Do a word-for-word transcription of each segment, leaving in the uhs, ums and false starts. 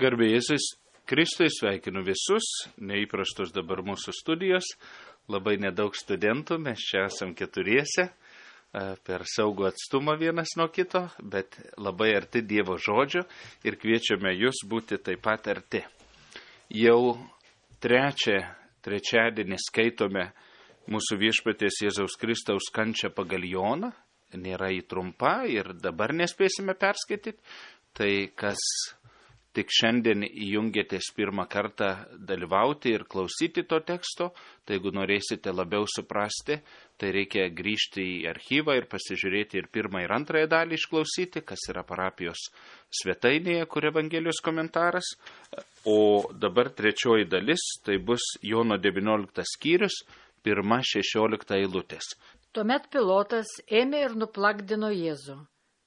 Garbė Jėzus Kristui, sveikinu visus, neįprastos dabar mūsų studijos, labai nedaug studentų, mes čia esam keturiese, per saugų atstumą vienas nuo kito, bet labai arti Dievo žodžio ir kviečiame jūs būti taip pat arti. Jau trečią, trečiadienį skaitome mūsų viešpaties Jėzaus Kristaus kančią pagal Joną, nėra į trumpa ir dabar nespėsime perskaityti, tai kas tik šiandien įjungėtės pirmą kartą dalyvauti ir klausyti to teksto, tai jeigu norėsite labiau suprasti, tai reikia grįžti į archyvą ir pasižiūrėti ir pirmą ir antrąją dalį išklausyti, kas yra parapijos svetainėje, kur Evangelijos komentaras. O dabar trečioji dalis, tai bus Jono devynioliktas skyrius, pirma šešiolikta eilutės. Tuomet Pilotas ėmė ir nuplakdino Jėzų.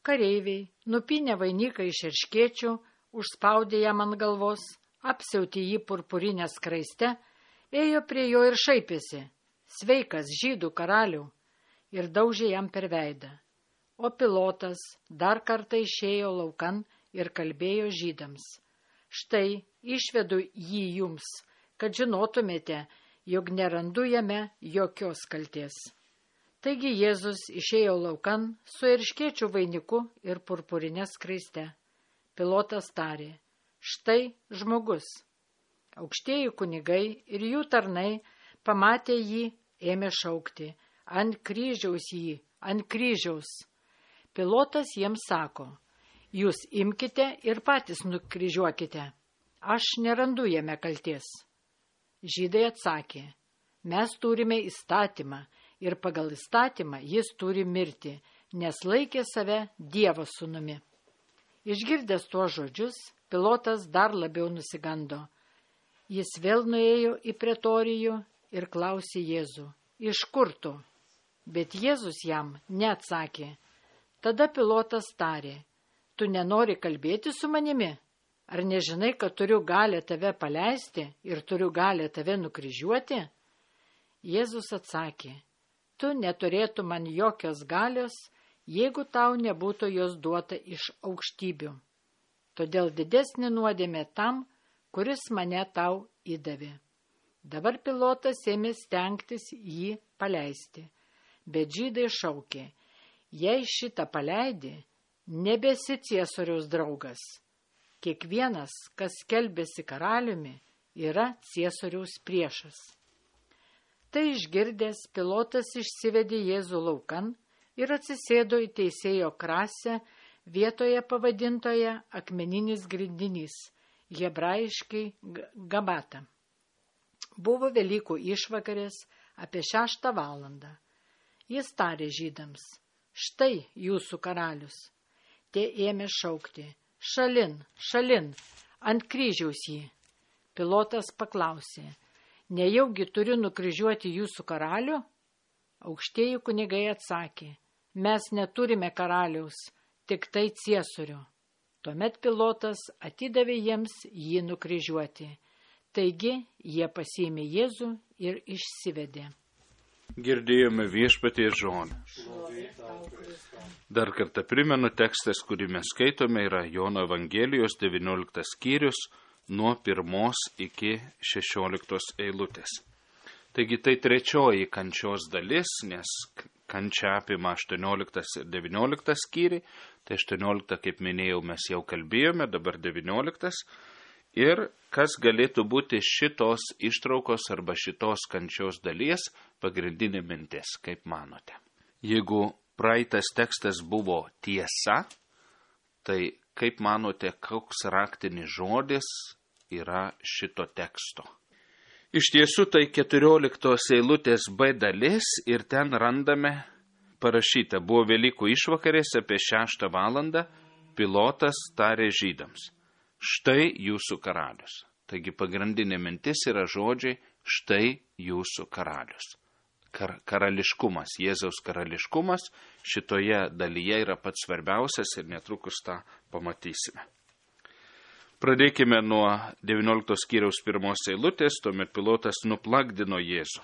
Kareiviai, nupynė vainiką iš erškėčių, užspaudė jam ant galvos, apsiautė jį purpurinę skraiste, ėjo prie jo ir šaipėsi, sveikas žydų karalių, ir daužė jam per veidą. O Pilotas dar kartą išėjo laukan ir kalbėjo žydams. Štai išvedu jį jums, kad žinotumėte, jog nerandu jame jokios kaltės. Taigi Jėzus išėjo laukan su erškėčių vainiku ir purpurinė skraiste. Pilotas tarė, štai žmogus. Aukštieji kunigai ir jų tarnai pamatė jį, ėmė šaukti, ant kryžiaus jį, ant kryžiaus. Pilotas jiems sako, jūs imkite ir patys nukryžiuokite, aš nerandu jame kalties. Žydai atsakė, mes turime įstatymą ir pagal įstatymą jis turi mirti, nes laikė save Dievo sūnumi. Išgirdęs tuos žodžius, Pilotas dar labiau nusigando. Jis vėl nuėjo į pretorijų ir klausė Jėzų, iš kur tu? Bet Jėzus jam neatsakė. Tada Pilotas tarė, tu nenori kalbėti su manimi? Ar nežinai, kad turiu galę tave paleisti ir turiu galę tave nukryžiuoti? Jėzus atsakė, tu neturėtų man jokios galios, jeigu tau nebūtų jos duota iš aukštybių. Todėl didesnė nuodėmė tam, kuris mane tau įdavė. Dabar Pilotas ėmė stengtis jį paleisti, bet žydai šaukė, jei šitą paleidi, nebesi Ciesoriaus draugas. Kiekvienas, kas skelbiasi karaliumi, yra Ciesoriaus priešas. Tai išgirdęs, Pilotas išsivedė Jėzų laukan ir atsisėdo į teisėjo krasę vietoje pavadintoje akmeninis grindinys, hebrajiškai Gabata. Buvo Velykų išvakarės apie šeštą valandą. Jis tarė žydams, štai jūsų karalius. Tie ėmė šaukti, šalin, šalin, ant kryžiaus jį. Pilotas paklausė, nejaugi turiu nukryžiuoti jūsų karalių? Aukštieji kunigai atsakė, mes neturime karaliaus, tik tai Ciesorių. Tuomet Pilotas atidavė jiems jį nukryžiuoti. Taigi jie pasiėmė Jėzų ir išsivedė. Girdėjome viešpaties žodį. Dar kartą primenu, tekstas, kurį mes skaitome, yra Jono Evangelijos devynioliktas skyrius nuo pirmos iki šešioliktos eilutės. Taigi tai trečioji kančios dalis, nes kančia apima aštuonioliktas ir devynioliktas skyriai, tai aštuonioliktą, kaip minėjau, mes jau kalbėjome, dabar devynioliktas. Ir kas galėtų būti šitos ištraukos arba šitos kančios dalies pagrindinė mintis, kaip manote? Jeigu praeitas tekstas buvo tiesa, tai kaip manote, koks raktinis žodis yra šito teksto? Iš tiesų tai keturioliktos eilutės B dalis ir ten randame parašyta, buvo Velykų išvakarės apie šeštą valandą, Pilotas tarė žydams, štai jūsų karalius. Taigi pagrindinė mintis yra žodžiai, štai jūsų karalius. Kar- karališkumas, Jėzaus karališkumas šitoje dalyje yra pats svarbiausias ir netrukus tą pamatysime. Pradėkime nuo devynioliktos skyriaus pirmos eilutės, tuomet Pilotas nuplakdino Jėzų.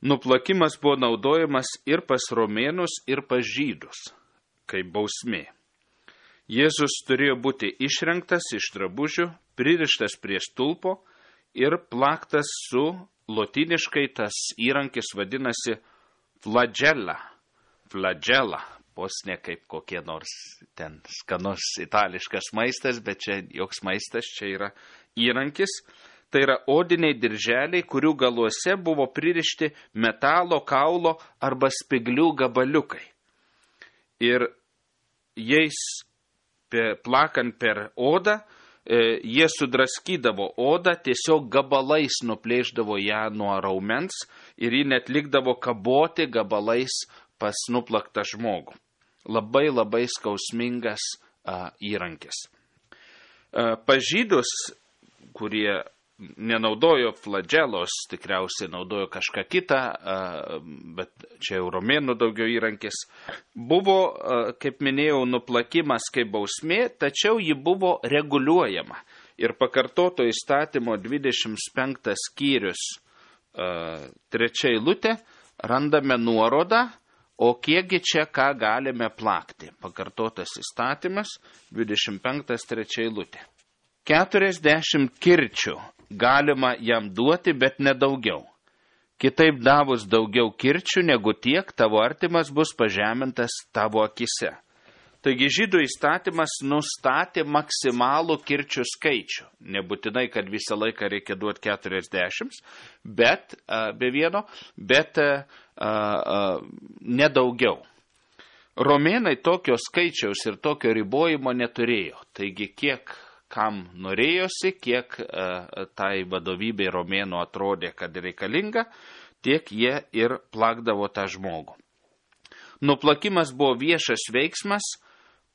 Nuplakimas buvo naudojamas ir pas romėnus, ir pas žydus, kaip bausmė. Jėzus turėjo būti išrengtas iš drabužių, pririštas prie stulpo ir plaktas su lotyniškai tas įrankis vadinasi flagella. Flagella. Vos ne kaip kokie nors ten skanus itališkas maistas, bet čia joks maistas, čia yra įrankis. Tai yra odiniai dirželiai, kurių galuose buvo pririšti metalo, kaulo arba spiglių gabaliukai. Ir jais plakant per odą, jie sudraskydavo odą, tiesiog gabalais nuplėždavo ją nuo raumens ir ji net likdavo kaboti gabalais pas nuplaktą žmogų. Labai labai skausmingas a, įrankis. A, pažydus, kurie nenaudojo flagelos, tikriausiai naudojo kažką kitą, a, bet čia jau romėnų daugiau įrankis, buvo, a, kaip minėjau, nuplakimas kaip bausmė, tačiau ji buvo reguliuojama. Ir pakartoto įstatymo dvidešimt penktas skyrius a, trečia eilutė randame nuorodą, o kiekgi čia ką galime plakti? Pakartotas įstatymas, dvidešimt penktas trečia eilutė. Keturiasdešimt kirčių galima jam duoti, bet nedaugiau. Kitaip davus daugiau kirčių negu tiek, tavo artimas bus pažemintas tavo akise. Taigi žydų įstatymas nustatė maksimalų kirčių skaičių. Nebūtinai, kad visą laiką reikia duoti keturiasdešimt, bet a, be vieno, bet a, a, nedaugiau. Romėnai tokio skaičiaus ir tokio ribojimo neturėjo. Taigi kiek kam norėjosi, kiek a, tai vadovybei romėnų atrodė, kad reikalinga, tiek jie ir plakdavo tą žmogų. Nuplakimas buvo viešas veiksmas,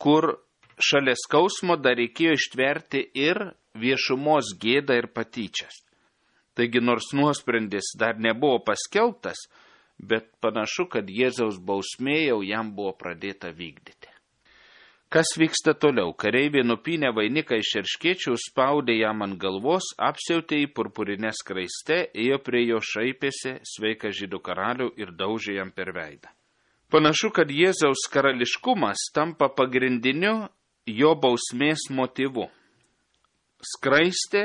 kur šalia skausmo dar reikėjo ištverti ir viešumos gėdą ir patyčias. Taigi nors nuosprendis dar nebuvo paskelbtas, bet panašu, kad Jėzaus bausmė jau jam buvo pradėta vykdyti. Kas vyksta toliau? Kareiviai nupynė vainiką iš erškėčių, spaudė jam ant galvos, apsiautė į purpurinę skraistę, ėjo prie jo, šaipėsi, sveika žydų karalių ir daužė jam per veidą. Panašu, kad Jėzaus karališkumas tampa pagrindiniu jo bausmės motyvu. Skraistė,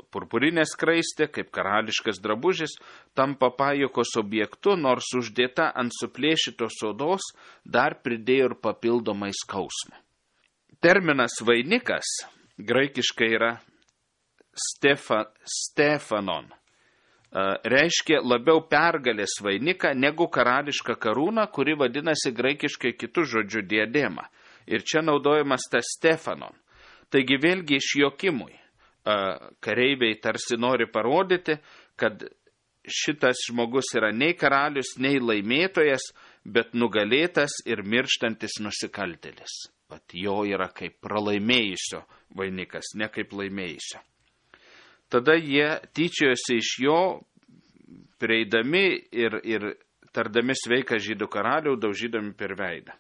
purpurinė skraistė, kaip karališkas drabužis, tampa pajokos objektu, nors uždėta ant suplėšytos odos dar pridėjo ir papildomai skausmą. Terminas vainikas graikiškai yra stefa, stefanon. Reiškia labiau pergalės vainiką negu karališką karūną, kuri vadinasi graikiškai kitų žodžių diadema. Ir čia naudojamas tas Stefanon. Taigi vėlgi išjuokimui. Kareiviai tarsi nori parodyti, kad šitas žmogus yra nei karalius, nei laimėtojas, bet nugalėtas ir mirštantis nusikaltėlis. Vat jo yra kaip pralaimėjusio vainikas, ne kaip laimėjusio. Tada jie tyčiojosi iš jo, prieidami ir, ir tardami sveiką žydų karalių, daužydami per veidą.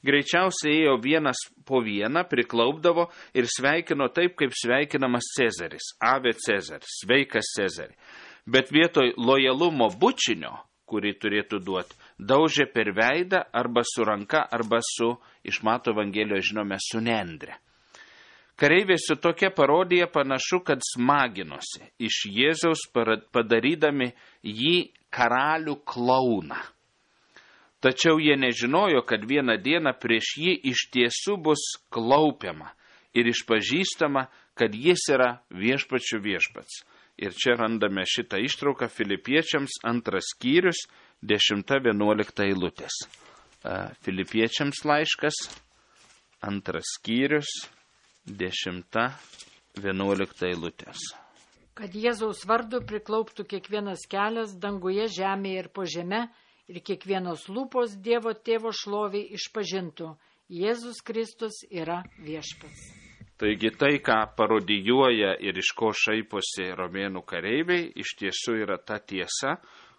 Greičiausiai ėjo vienas po vieną, priklaupdavo ir sveikino taip, kaip sveikinamas Cezaris, Ave Cezaris, sveikas Cezari. Bet vietoj lojalumo bučinio, kurį turėtų duoti, daužė per veidą arba su ranka, arba su, iš Mato Evangelijos žinome, su nendre. Kareiviai su tokia parodija panašu, kad smaginosi iš Jėzaus padarydami jį karalių klouną. Tačiau jie nežinojo, kad vieną dieną prieš jį iš tiesų bus klaupiama ir išpažįstama, kad jis yra viešpačių viešpats. Ir čia randame šitą ištrauką Filipiečiams antras skyrius, dešimta vienuolikta eilutės. Filipiečiams laiškas, antras skyrius, dešimta vienuolikta eilutės. Kad Jėzaus vardu priklauptų kiekvienas kelias danguje, žemėje ir po žeme, ir kiekvienos lūpos Dievo tėvo šloviai išpažintų: Jėzus Kristus yra viešpats. Taigi tai, ką parodijuoja ir iš ko šaiposi romėnų kareiviai, iš tiesų yra ta tiesa,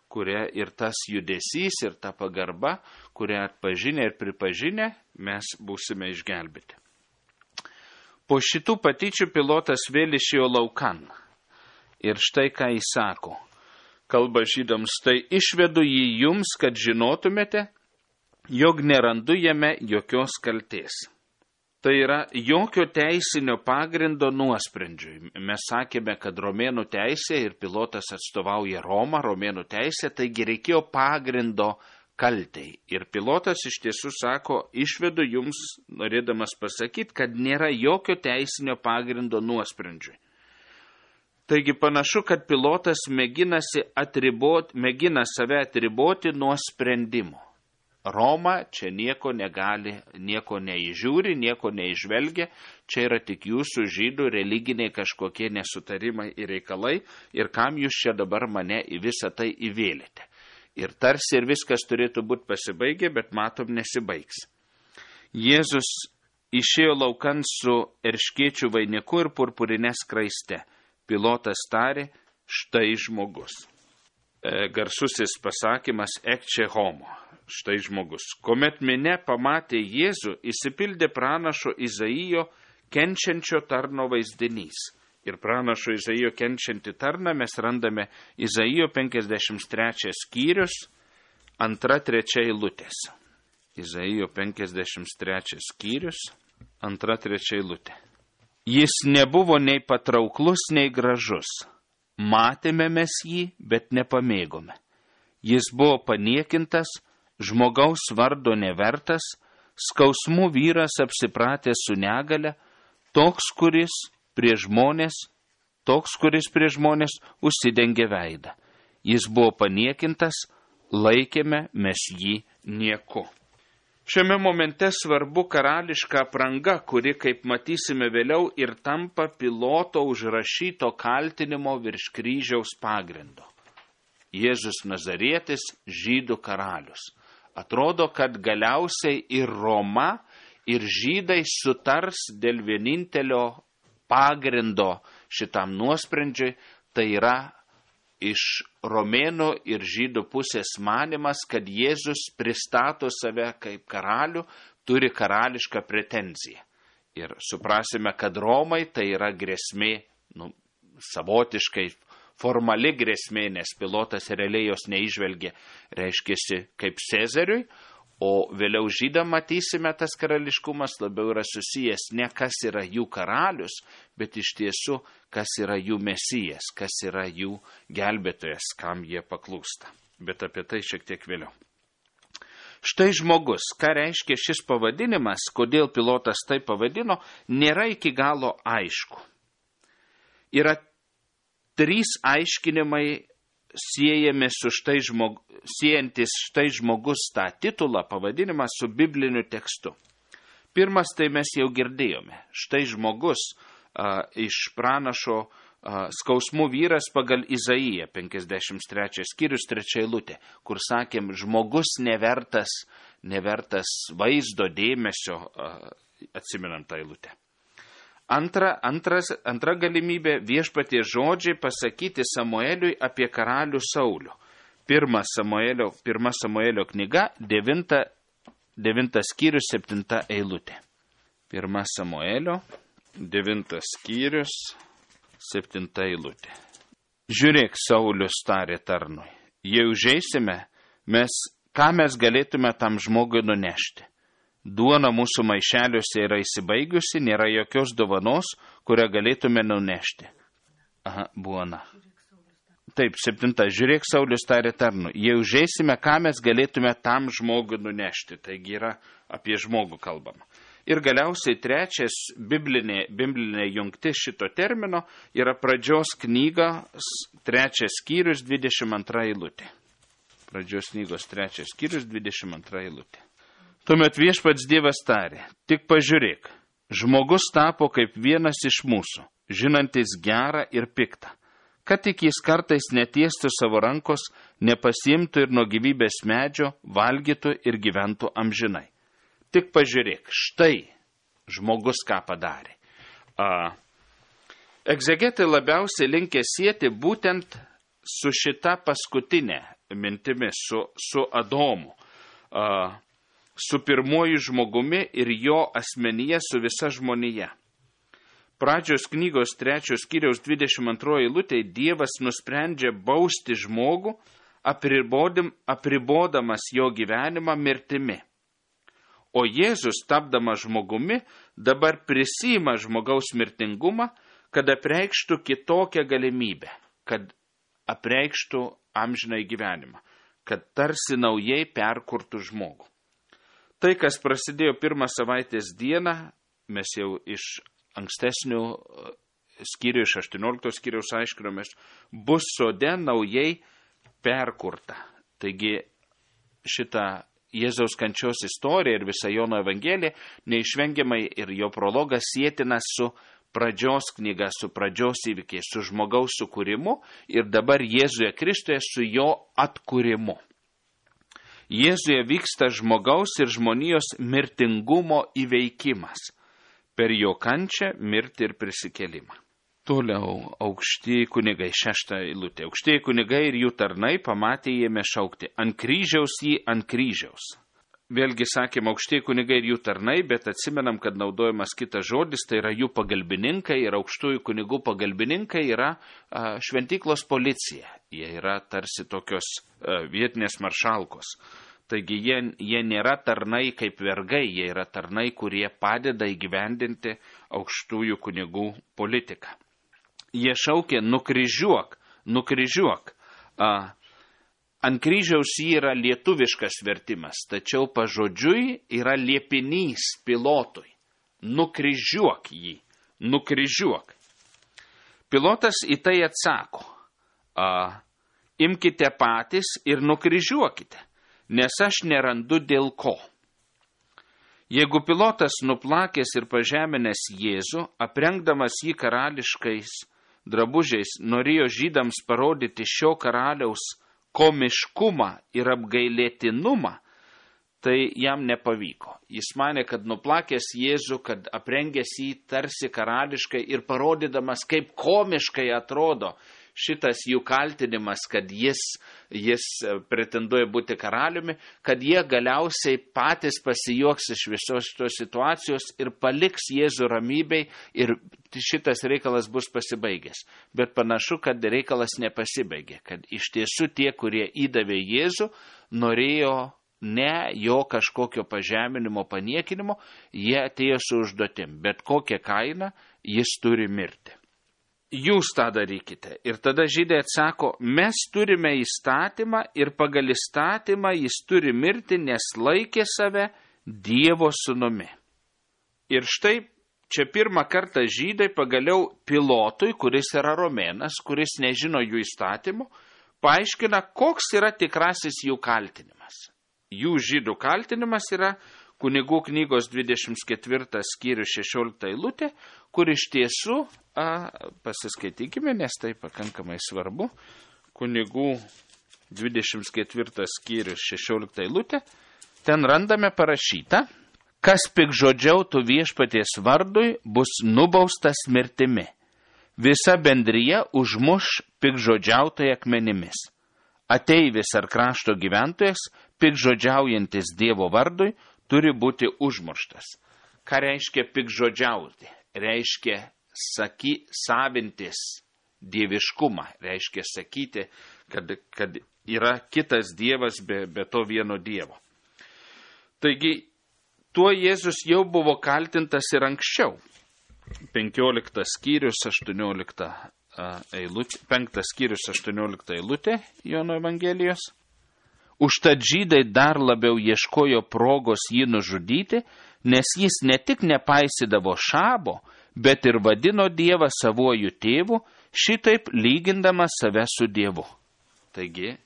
kuria ir tas judesys, ir ta pagarba, kurią atpažinę ir pripažinę, mes būsime išgelbėti. Po šitų patyčių pilotas vėl išėjo laukan. Ir štai ką jis sako. Kalba žydams: tai išvedu jį jums, kad žinotumėte, jog nerandu jame jokios kaltės. Tai yra jokio teisinio pagrindo nuosprendžiui. Mes sakėme, kad romėnų teisė ir Pilotas atstovauja Romą, romėnų teisė, taigi reikėjo pagrindo kaltei. Ir Pilotas iš tiesų sako, išvedu jums, norėdamas pasakyti, kad nėra jokio teisinio pagrindo nuosprendžiui. Taigi panašu, kad Pilotas mėginasi atriboti, mėgina save atriboti nuo sprendimo. Roma čia nieko negali, nieko neįžiūri, nieko neižvelgia, čia yra tik jūsų žydų religiniai kažkokie nesutarimai ir reikalai, ir kam jūs čia dabar mane į visą tai įvėlėte. Ir tarsi ir viskas turėtų būti pasibaigę, bet matom nesibaigs. Jėzus išėjo laukan su erškėčių vainiku ir purpurinė skraiste. Pilotas tarė, štai žmogus. E, garsusis pasakymas ecce homo. Štai žmogus. Kuomet minia pamatė Jėzų, įsipildė pranašo Izaijo kenčiančio tarno vaizdinys. Ir pranašo Izaijo kenčiantį tarną mes randame Izaijo penkiasdešimt trečias skyrius, antra trečia eilutės. Izaijo penkiasdešimt trečias skyrius, antra trečia eilutė. Jis nebuvo nei patrauklus, nei gražus. Matėme mes jį, bet nepamėgome. Jis buvo paniekintas, žmogaus vardo nevertas, skausmų vyras apsipratęs su negale, toks, kuris prie žmonės, toks, kuris prie žmonės užsidengė veidą. Jis buvo paniekintas, laikėme mes jį nieku. Šiame momente svarbu karališka apranga, kuri, kaip matysime vėliau, ir tampa Piloto užrašyto kaltinimo virš kryžiaus pagrindo. Jėzus Nazarietis, žydų karalius. Atrodo, kad galiausiai ir Roma, ir žydai sutars dėl vienintelio pagrindo šitam nuosprendžiui, tai yra iš romėnų ir žydų pusės manimas, kad Jėzus pristato save kaip karalių, turi karališką pretenziją. Ir suprasime, kad Romai tai yra grėsmė, nu, savotiškai formali grėsmė, nes Pilotas realiai jos neižvelgė, reiškėsi kaip Cezariui, o vėliau žydam matysime, tas karališkumas labiau yra susijęs ne kas yra jų karalius, bet iš tiesų kas yra jų mesijas, kas yra jų gelbėtojas, kam jie paklūsta. Bet apie tai šiek tiek vėliau. Štai žmogus, ką reiškia šis pavadinimas, kodėl Pilotas tai pavadino, nėra iki galo aišku. Yra trys aiškinimai siejami su štai žmog, siejantis štai žmogus tą titulą, pavadinimą su bibliniu tekstu. Pirmas tai mes jau girdėjome. Štai žmogus a, iš pranašo a, skausmų vyras pagal Izaiją, penkiasdešimt trečias skyrius, trečia eilutė, kur sakėm, žmogus nevertas, nevertas vaizdo dėmesio, a, atsimenam tą eilutę. Antra, antras, antra galimybė viešpatie žodžiai pasakyti Samueliui apie karalių Saulių. Pirma Samuelio, pirma Samuelio knyga, devinta, devintas skyrius, septinta eilutė. Pirma Samuelio, devintas skyrius, septinta eilutė. Žiūrėk, Saulius tarė tarnui, jei užeisime, mes, ką mes galėtume tam žmogui nunešti? Duona mūsų maišeliuose yra įsibaigusi, nėra jokios dovanos, kurią galėtume nunešti. Aha, buona. Taip, septinta. Žiūrėk, Saulius tarė tarnu. Jei užeisime, ką mes galėtume tam žmogui nunešti. Taigi yra apie žmogų kalbama. Ir galiausiai trečias biblinė, biblinė jungtis šito termino yra pradžios knygos trečias skyrius, dvidešimt antra eilutė. Pradžios knygos trečias skyrius, dvidešimt antra eilutė. Tuomet viešpats Dievas tarė, tik pažiūrėk, žmogus tapo kaip vienas iš mūsų, žinantis gerą ir piktą, kad tik jis kartais netiestų savo rankos, nepasiimtų ir nuo gyvybės medžio, valgytų ir gyventų amžinai. Tik pažiūrėk, štai žmogus ką padarė. A, egzegetai labiausiai linkę sieti būtent su šita paskutinė mintimi, su, su Adomu. A, su pirmuoju žmogumi ir jo asmenyje su visa žmonija. Pradžios knygos trečios skyriaus dvidešimt antroji eilutė Dievas nusprendžia bausti žmogų, apribodamas jo gyvenimą mirtimi. O Jėzus, tapdamas žmogumi, dabar prisima žmogaus mirtingumą, kad apreikštų kitokią galimybę, kad apreikštų amžinai gyvenimą, kad tarsi naujai perkurtų žmogų. Tai, kas prasidėjo pirmą savaitės dieną, mes jau iš ankstesnių skyrių, iš aštuoniolikto skyriaus aiškinomės, bus sode naujai perkurta. Taigi šitą Jėzaus kančios istorija ir visa Jono Evangelija neišvengiamai ir jo prologas sietina su pradžios knyga, su pradžios įvykiais, su žmogaus sukūrimu ir dabar Jėzuje Kristuje su jo atkūrimu. Jėzuje vyksta žmogaus ir žmonijos mirtingumo įveikimas per jo kančią, mirtį ir prisikėlimą. Toliau aukštieji kunigai, šešta eilutė. Aukštieji kunigai ir jų tarnai pamatė jėme šaukti, ant kryžiaus jį, ant kryžiaus. Vėlgi sakėm, aukštieji kunigai ir jų tarnai, bet atsimenam, kad naudojamas kitas žodis, tai yra jų pagalbininkai ir aukštųjų kunigų pagalbininkai yra a, šventyklos policija. Jie yra tarsi tokios a, vietinės maršalkos. Taigi jie, jie nėra tarnai kaip vergai, jie yra tarnai, kurie padeda įgyvendinti aukštųjų kunigų politiką. Jie šaukė, nukryžiuok, nukryžiuok. A, ant kryžiaus jį yra lietuviškas vertimas, tačiau pažodžiui yra liepinys Pilotui. Nukryžiuok jį, nukryžiuok. Pilotas į tai atsako, a, imkite patys ir nukryžiuokite, nes aš nerandu dėl ko. Jeigu Pilotas nuplakęs ir pažeminęs Jėzų, aprengdamas jį karališkais drabužiais, norėjo žydams parodyti šio karaliaus komiškumą ir apgailėtinumą, tai jam nepavyko. Jis manė, kad nuplakęs Jėzų, kad aprengęs jį tarsi karališkai ir parodydamas, kaip komiškai atrodo šitas jų kaltinimas, kad jis, jis pretenduoja būti karaliumi, kad jie galiausiai patys pasijuoks iš visos šitos situacijos ir paliks Jėzų ramybei ir šitas reikalas bus pasibaigęs. Bet panašu, kad reikalas nepasibaigė, kad iš tiesų tie, kurie įdavė Jėzų, norėjo ne jo kažkokio pažeminimo, paniekinimo, jie atėjo su užduotim, bet kokią kainą jis turi mirti. Jūs tą darykite. Ir tada žydai atsako, mes turime įstatymą ir pagal įstatymą jis turi mirti, nes laikė save Dievo sūnumi. Ir štai čia pirmą kartą žydai pagaliau Pilotui, kuris yra romėnas, kuris nežino jų įstatymų, paaiškina, koks yra tikrasis jų kaltinimas. Jų žydų kaltinimas yra Kunigų knygos dvidešimt ketvirtas skyrius šešiolikta eilutė, kur iš tiesų, a, pasiskaitykime, nes tai pakankamai svarbu, Kunigų dvidešimt ketvirtas skyrius šešiolikta eilutė, ten randame parašyta, kas piktžodžiautų viešpaties vardui, bus nubaustas mirtimi. Visa bendrija užmuš piktžodžiautoją akmenimis. Ateivis ar krašto gyventojas, piktžodžiaujantis Dievo vardui, turi būti užmuštas. Ką reiškia piktžodžiauti? Reiškia saky, savintis dieviškumą. Reiškia sakyti, kad, kad yra kitas Dievas be, be to vieno Dievo. Taigi, tuo Jėzus jau buvo kaltintas ir anksčiau. penkioliktas skyrius, aštuoniolikta eilutė, penktas skyrius, aštuoniolikta eilutė Jono Evangelijos. Užtat žydai dar labiau ieškojo progos jį nužudyti, nes jis ne tik nepaisydavo šabo, bet ir vadino Dievą savuoju tėvu, šitaip lygindamas save su Dievu. Taigi,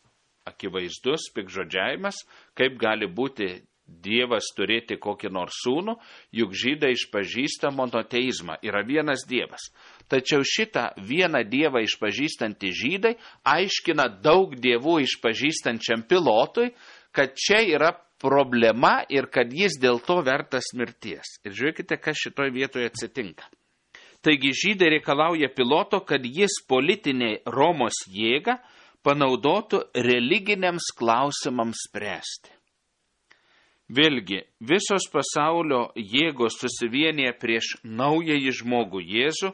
akivaizdus piktžodžiavimas, kaip gali būti Dievas turėti kokį nors sūnų, juk žydai išpažįsta monoteizmą, yra vienas Dievas. Tačiau šitą vieną Dievą išpažįstantį žydai aiškina daug dievų išpažįstančiam Pilotui, kad čia yra problema ir kad jis dėl to vertas mirties. Ir žiūrėkite, kas šitoj vietoje atsitinka. Taigi žydai reikalauja Piloto, kad jis politinė Romos jėgą panaudotų religiniams klausimams spręsti. Vėlgi, visos pasaulio jėgos susivienyje prieš naująjį žmogų Jėzų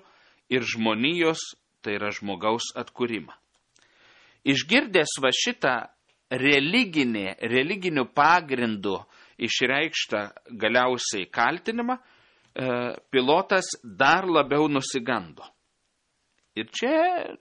ir žmonijos, tai yra žmogaus atkūrimą. Išgirdęs va šitą religinį, religinių pagrindų išreikštą galiausiai kaltinimą, Pilotas dar labiau nusigando. Ir čia,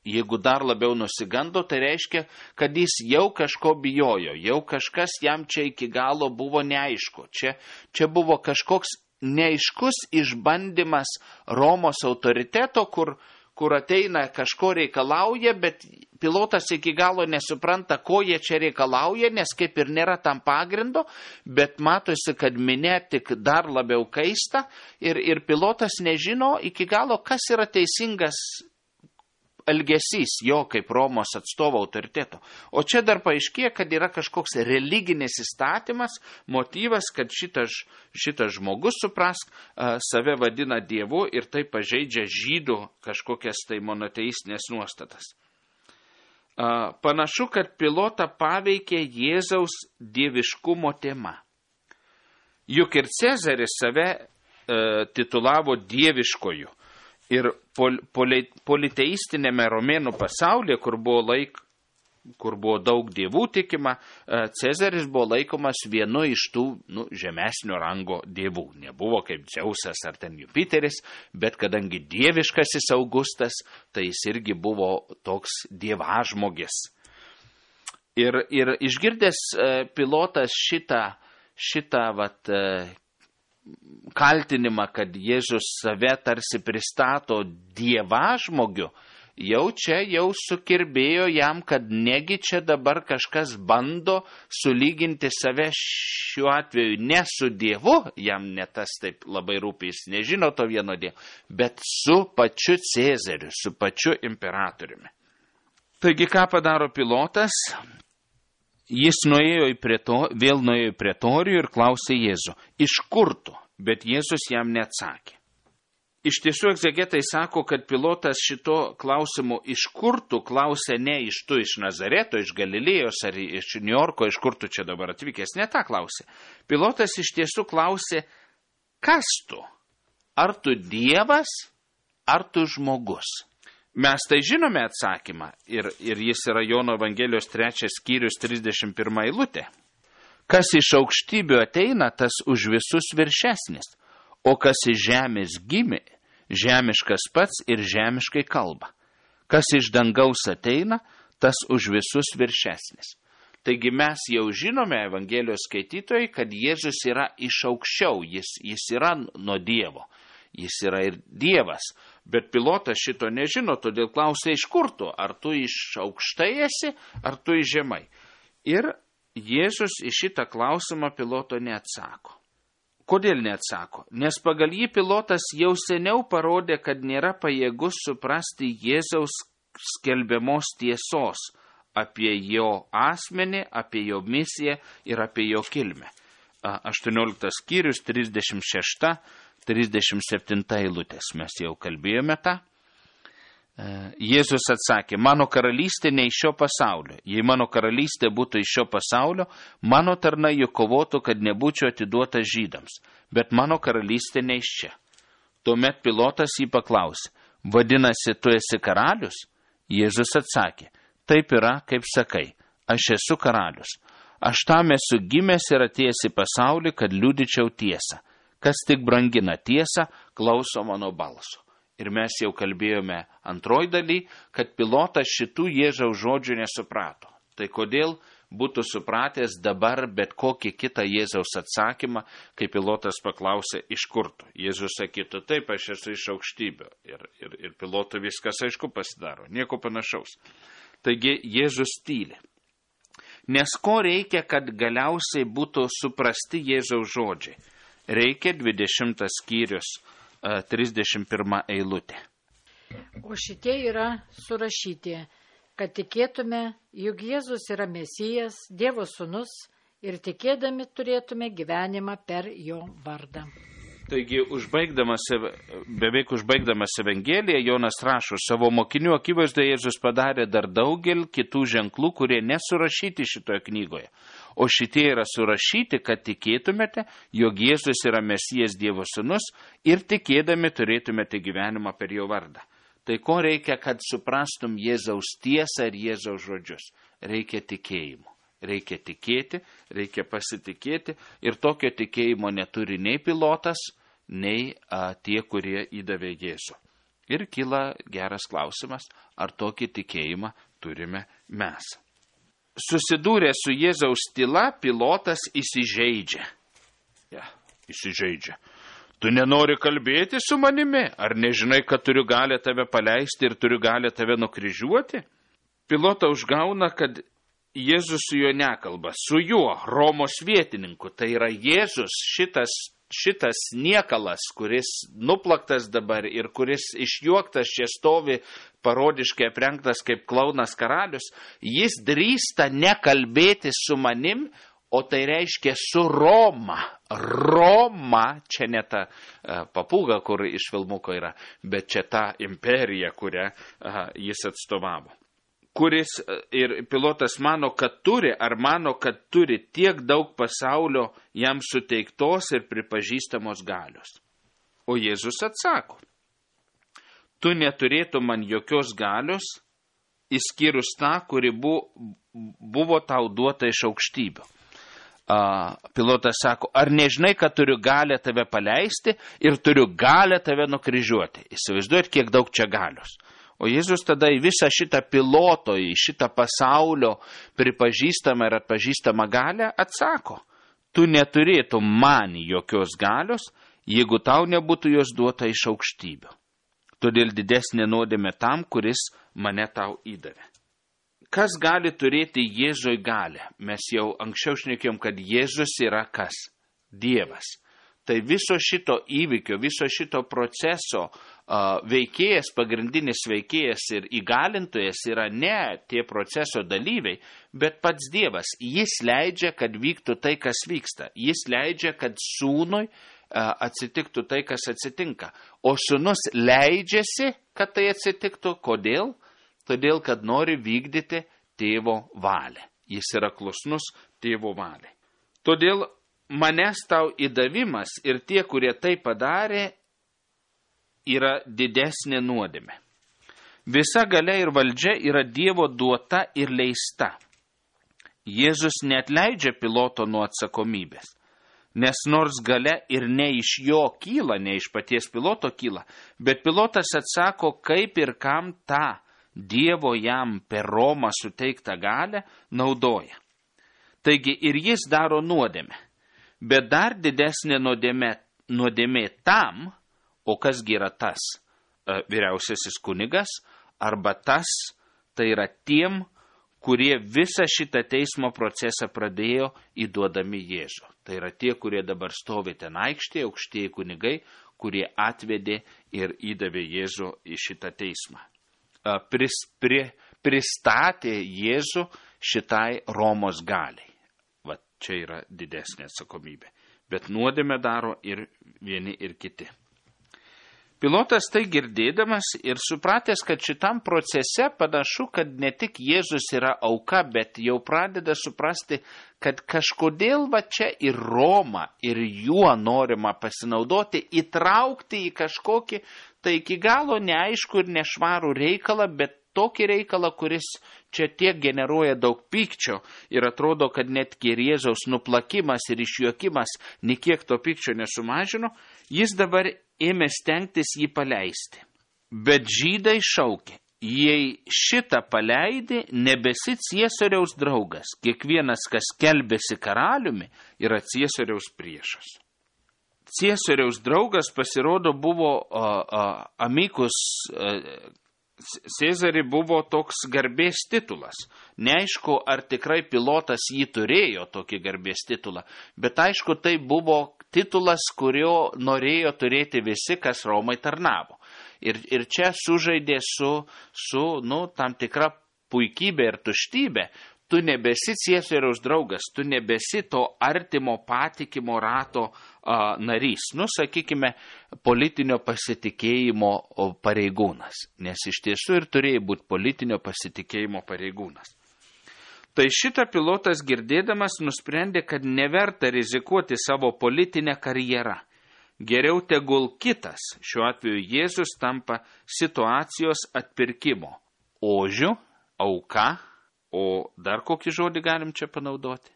jeigu dar labiau nusigando, tai reiškia, kad jis jau kažko bijojo, jau kažkas jam čia iki galo buvo neaišku. Čia, čia buvo kažkoks neaiškus išbandymas Romos autoriteto, kur, kur ateina kažko reikalauja, bet Pilotas iki galo nesupranta, ko jie čia reikalauja, nes kaip ir nėra tam pagrindo, bet matosi, kad minia tik dar labiau kaista ir, ir Pilotas nežino iki galo, kas yra teisingas elgesys jo kaip Romos atstovo autoriteto. O čia dar paaiškėja, kad yra kažkoks religinis įstatymas, motyvas, kad šitas, šitas žmogus, suprask, save vadina Dievu ir tai pažeidžia žydų kažkokias tai monoteistinės nuostatas. Panašu, kad Pilotą paveikė Jėzaus dieviškumo tema. Juk ir Cezaris save e, titulavo dieviškoju. Ir pol, poli, politeistinėme romėnų pasaulyje, kur buvo, laik, kur buvo daug dievų tikima, Cezaris buvo laikomas vienu iš tų nu, žemesnio rango dievų. Nebuvo kaip Dzeusas ar ten Jupiteris, bet kadangi dieviškasis Augustas, tai jis irgi buvo toks dievažmogis. Ir, ir išgirdęs Pilotas šitą, šitą vat, kaltinimą, kad Jėzus save tarsi pristato dievažmogiu, jau čia jau sukirbėjo jam, kad negi čia dabar kažkas bando sulyginti save šiuo atveju ne su Dievu, jam ne tas taip labai rūpi, jis nežino to vieno Dievo, bet su pačiu Cezariu, su pačiu imperatoriumi. Taigi ką padaro Pilotas? Jis nuėjo į preto, vėl nuėjo į pretorijų ir klausė Jėzų, iš kur tu? Bet Jėzus jam neatsakė. Iš tiesų, egzegetai sako, kad Pilotas šito klausimu iš kur tu klausė ne iš tu iš Nazareto, iš Galilėjos ar iš Niujorko, iš kur tu čia dabar atvykęs, ne tą klausė. Pilotas iš tiesų klausė, kas tu? Ar tu Dievas, ar tu žmogus? Mes tai žinome atsakymą ir, ir jis yra Jono Evangelijos trečias skyrius trisdešimt pirma eilutė. Kas iš aukštybių ateina, tas už visus viršesnis, o kas iš žemės gimė, žemiškas pats ir žemiškai kalba. Kas iš dangaus ateina, tas už visus viršesnis. Taigi mes jau žinome, Evangelijos skaitytojai, kad Jėzus yra iš aukščiau, jis, jis yra nuo Dievo. Jis yra ir Dievas, bet Pilotas šito nežino, todėl klausė, iš kur tu, ar tu iš aukštai esi, ar tu iš žemai. Ir Jėzus į šitą klausimą Piloto neatsako. Kodėl neatsako? Nes pagal jį Pilotas jau seniau parodė, kad nėra pajėgus suprasti Jėzaus skelbiamos tiesos apie jo asmenį, apie jo misiją ir apie jo kilmę. aštuonioliktas skyrius, trisdešimt šešta trisdešimt septinta eilutės. Mes jau kalbėjome tą. Jėzus atsakė, mano karalystė ne iš šio pasaulio. Jei mano karalystė būtų iš šio pasaulio, mano tarnai juk kovotų, kad nebūčiau atiduota žydams. Bet mano karalystė ne iš čia. Tuomet Pilotas jį paklausė, vadinasi, tu esi karalius? Jėzus atsakė, taip yra, kaip sakai, aš esu karalius. Aš tam esu gimęs ir atėjęs į pasaulį, kad liudyčiau tiesą. Kas tik brangina tiesą, klauso mano balso. Ir mes jau kalbėjome antroj daly, kad Pilotas šitų Jėzaus žodžių nesuprato. Tai kodėl būtų supratęs dabar bet kokį kitą Jėzaus atsakymą, kai Pilotas paklausė, iš kur tu? Jėzus sakytų, taip, aš esu iš aukštybių. Ir, ir, ir Pilotui viskas aišku pasidaro, nieko panašaus. Taigi Jėzus tyli. Nes ko reikia, kad galiausiai būtų suprasti Jėzaus žodžiai? Reikia dvidešimtas skyrius, trisdešimt pirma eilutė. O šitie yra surašyti, kad tikėtume, juk Jėzus yra Mesijas, Dievo sūnus ir tikėdami turėtume gyvenimą per jo vardą. Taigi, užbaigdamas, beveik užbaigdamas Evangeliją, Jonas rašo, savo mokinių akivaizdoje Jėzus padarė dar daugel kitų ženklų, kurie nesurašyti šitoje knygoje. O šitie yra surašyti, kad tikėtumėte, jog Jėzus yra Mesijas Dievo sūnus ir tikėdami turėtumėte gyvenimą per jo vardą. Tai ko reikia, kad suprastum Jėzaus tiesą ir Jėzaus žodžius? Reikia tikėjimo. reikia tikėti, reikia pasitikėti ir tokio tikėjimo neturi nei pilotas, nei a, tie, kurie įdavė Jėzų. Ir kyla geras klausimas, ar tokį tikėjimą turime mes. Susidūrę su Jėzaus tyla, pilotas įsižeidžia. Ja, įsižeidžia. Tu nenori kalbėti su manimi? Ar nežinai, kad turiu galę tave paleisti ir turiu galę tave nukryžiuoti? Pilotą užgauna, kad Jėzus su juo nekalba, su juo, Romos vietininku. Tai yra Jėzus, šitas, šitas niekalas, kuris nuplaktas dabar ir kuris išjuoktas čia stovi, parodiškai aprengtas kaip klaunas karalius. Jis drįsta nekalbėti su manim, o tai reiškia su Roma. Roma, čia ne ta uh, papūga, kur iš filmuko yra, bet čia ta imperija, kurią uh, jis atstovavo. Kuris uh, ir pilotas mano, kad turi, ar mano, kad turi tiek daug pasaulio jam suteiktos ir pripažįstamos galios. O Jėzus atsako, tu neturėtum man jokios galios, išskyrus tą, kuri bu, buvo tau duota iš aukštybių. Uh, pilotas sako, ar nežinai, kad turiu galę tave paleisti ir turiu galę tave nukryžiuoti. Įsivaizduojat, kiek daug čia galios. O Jėzus tada į visą šitą piloto, į šitą pasaulio pripažįstamą ir atpažįstamą galę atsako, tu neturėtum man jokios galios, jeigu tau nebūtų jos duota iš aukštybių. Todėl didesnė nuodėmė tam, kuris mane tau įdavė. Kas gali turėti Jėzui galę? Mes jau anksčiau šnekėjom, kad Jėzus yra kas? Dievas. Tai viso šito įvykio, viso šito proceso uh, veikėjas, pagrindinis veikėjas ir įgalintojas yra ne tie proceso dalyviai, bet pats Dievas. Jis leidžia, kad vyktų tai, kas vyksta. Jis leidžia, kad sūnui uh, atsitiktų tai, kas atsitinka. O sūnus leidžiasi, kad tai atsitiktų. Kodėl? Todėl, kad nori vykdyti tėvo valią. Jis yra klusnus tėvo valiai. Todėl manęs tau įdavimas ir tie, kurie tai padarė, yra didesnė nuodėmė. Visa galia ir valdžia yra Dievo duota ir leista. Jėzus neatleidžia piloto nuo atsakomybės, nes nors galia ir ne iš jo kyla, ne iš paties piloto kyla, bet pilotas atsako, kaip ir kam tą Dievo jam per Romą suteiktą galę naudoja. Taigi ir jis daro nuodėmę, bet dar didesnė nuodėmė, nuodėmė tam, o kasgi yra tas, vyriausiasis kunigas, arba tas, tai yra tiem, kurie visą šitą teismo procesą pradėjo įduodami Jėzų. Tai yra tie, kurie dabar stovi ten aikštėje, aukštieji kunigai, kurie atvedė ir įdavė Jėzų į šitą teismą. Pris, pri, pristatė Jėzų šitai Romos galiai. Va, čia yra didesnė atsakomybė. Bet nuodėmę daro ir vieni ir kiti. Pilotas tai girdėdamas ir supratęs, kad šitam procese panašu, kad ne tik Jėzus yra auka, bet jau pradeda suprasti, kad kažkodėl va čia ir Roma, ir juo norima pasinaudoti, įtraukti į kažkokį, tai iki galo neaišku ir nešvarų reikalą, bet tokį reikalą, kuris čia tiek generuoja daug pykčio ir atrodo, kad net ir Jėzaus nuplakimas ir išjuokimas niekiek to pykčio nesumažino, jis dabar ėmė stengtis jį paleisti. Bet žydai šaukė, jei šitą paleidi, nebesi Ciesoriaus draugas, kiekvienas, kas skelbėsi karaliumi, yra Ciesoriaus priešas. Ciesoriaus draugas pasirodo buvo uh, uh, amikus uh, Cezarį buvo toks garbės titulas. Neaišku, ar tikrai pilotas jį turėjo tokį garbės titulą, bet aišku, tai buvo titulas, kurio norėjo turėti visi, kas Romai tarnavo. Ir, ir čia sužaidė su, su nu, tam tikra puikybė ir tuštybė. Tu nebesi Ciesoriaus draugas, tu nebesi to artimo patikimo rato a, narys. Nu, sakykime, politinio pasitikėjimo pareigūnas. Nes iš tiesų ir turėjo būti politinio pasitikėjimo pareigūnas. Tai šitą pilotas girdėdamas nusprendė, kad neverta rizikuoti savo politinę karjerą. Geriau tegul kitas, šiuo atveju Jėzus, tampa situacijos atpirkimo ožiu, auka, O dar kokį žodį galim čia panaudoti?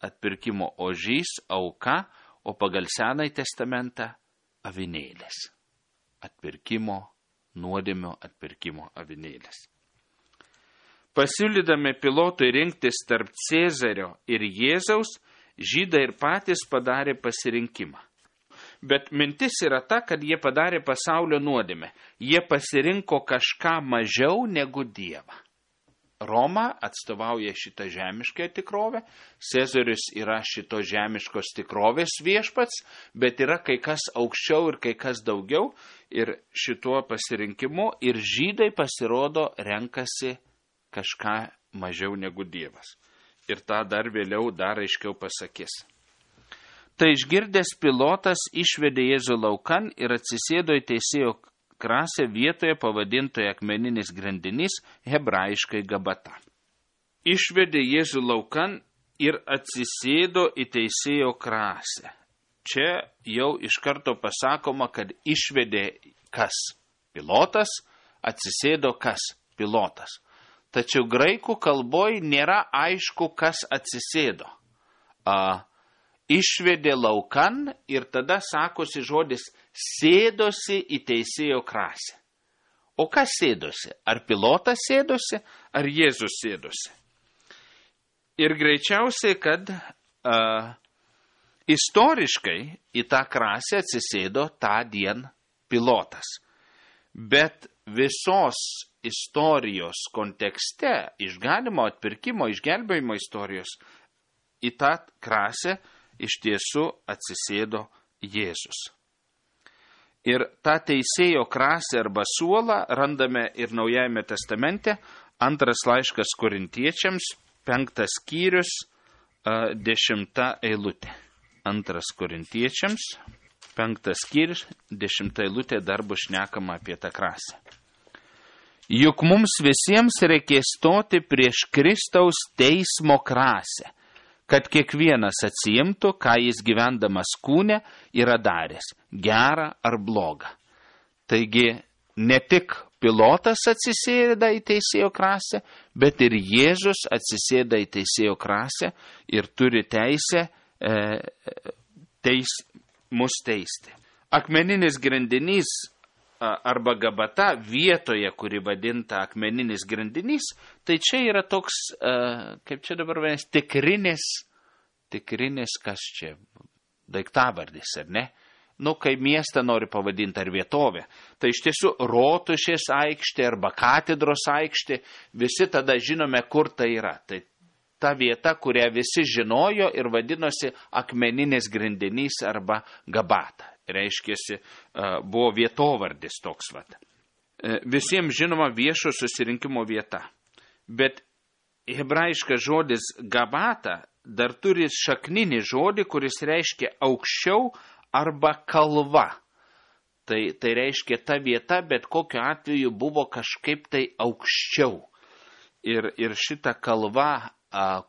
Atpirkimo ožys, auka, o pagal Senąjį testamentą avinėlis. Atpirkimo, nuodėmio atpirkimo avinėlis. Pasiūlydami Pilotui rinktis tarp Cėzario ir Jėzaus, žydai ir patys padarė pasirinkimą. Bet mintis yra ta, kad jie padarė pasaulio nuodėmę. Jie pasirinko kažką mažiau negu Dievą. Roma atstovauja šitą žemišką tikrovę, Cezarius yra šito žemiškos tikrovės viešpats, bet yra kai kas aukščiau ir kai kas daugiau, ir šituo pasirinkimu ir žydai pasirodo renkasi kažką mažiau negu Dievas. Ir tą dar vėliau dar aiškiau pasakys. Tai išgirdęs Pilotas išvedė Jėzų laukan ir atsisėdo į teisėjo krasę vietoje pavadintoje akmeninis grindinys, hebrajiškai Gabata. Išvedė Jėzų laukan ir atsisėdo į teisėjo krasę. Čia jau iš karto pasakoma, kad išvedė kas? Pilotas, atsisėdo kas? Pilotas. Tačiau graikų kalboje nėra aišku, kas atsisėdo. A, išvedė laukan ir tada sakosi žodis sėdosi į teisėjo krasę. O kas sėdosi? Ar Pilotas sėdosi, ar Jėzus sėdosi? Ir greičiausiai, kad a, istoriškai į tą krasę atsisėdo tą dieną Pilotas. Bet visos istorijos kontekste, išganimo, atpirkimo, išgelbėjimo istorijos, į tą krasę iš tiesų atsisėdo Jėzus. Ir tą teisėjo krasę arba suolą randame ir Naujajame testamente, antras laiškas Korintiečiams, penktas skyrius, dešimta eilutė. Antras Korintiečiams, penktas skyrius, dešimta eilutė dar bus šnekama apie tą krasę. Juk mums visiems reikės stoti prieš Kristaus teismo krasę, kad kiekvienas atsiimtų, ką jis gyvendamas kūne yra daręs, gerą ar blogą. Taigi ne tik Pilotas atsisėda į teisėjo krasę, bet ir Jėzus atsisėda į teisėjo krasę ir turi teisę e, teis, mus teisti. Akmeninis grindinys arba Gabata vietoje, kuri vadinta akmeninis grindinys, tai čia yra toks, kaip čia dabar vadinasi, tikrinis, tikrinis, kas čia, daiktavardis, ar ne? Nu, kai miestą nori pavadinti ar vietovę, tai iš tiesų Rotušės aikštė arba katedros aikštė, visi tada žinome, kur tai yra. Tai ta vieta, kurią visi žinojo ir vadinosi akmeninis grindinys arba Gabata. Reiškėsi, buvo vietovardis toks vat. Visiems žinoma viešo susirinkimo vieta. Bet hebrajiškas žodis Gabata dar turi šakninį žodį, kuris reiškia aukščiau arba kalva. Tai, tai reiškia ta vieta, bet kokiu atveju buvo kažkaip tai aukščiau. Ir, ir šita kalva,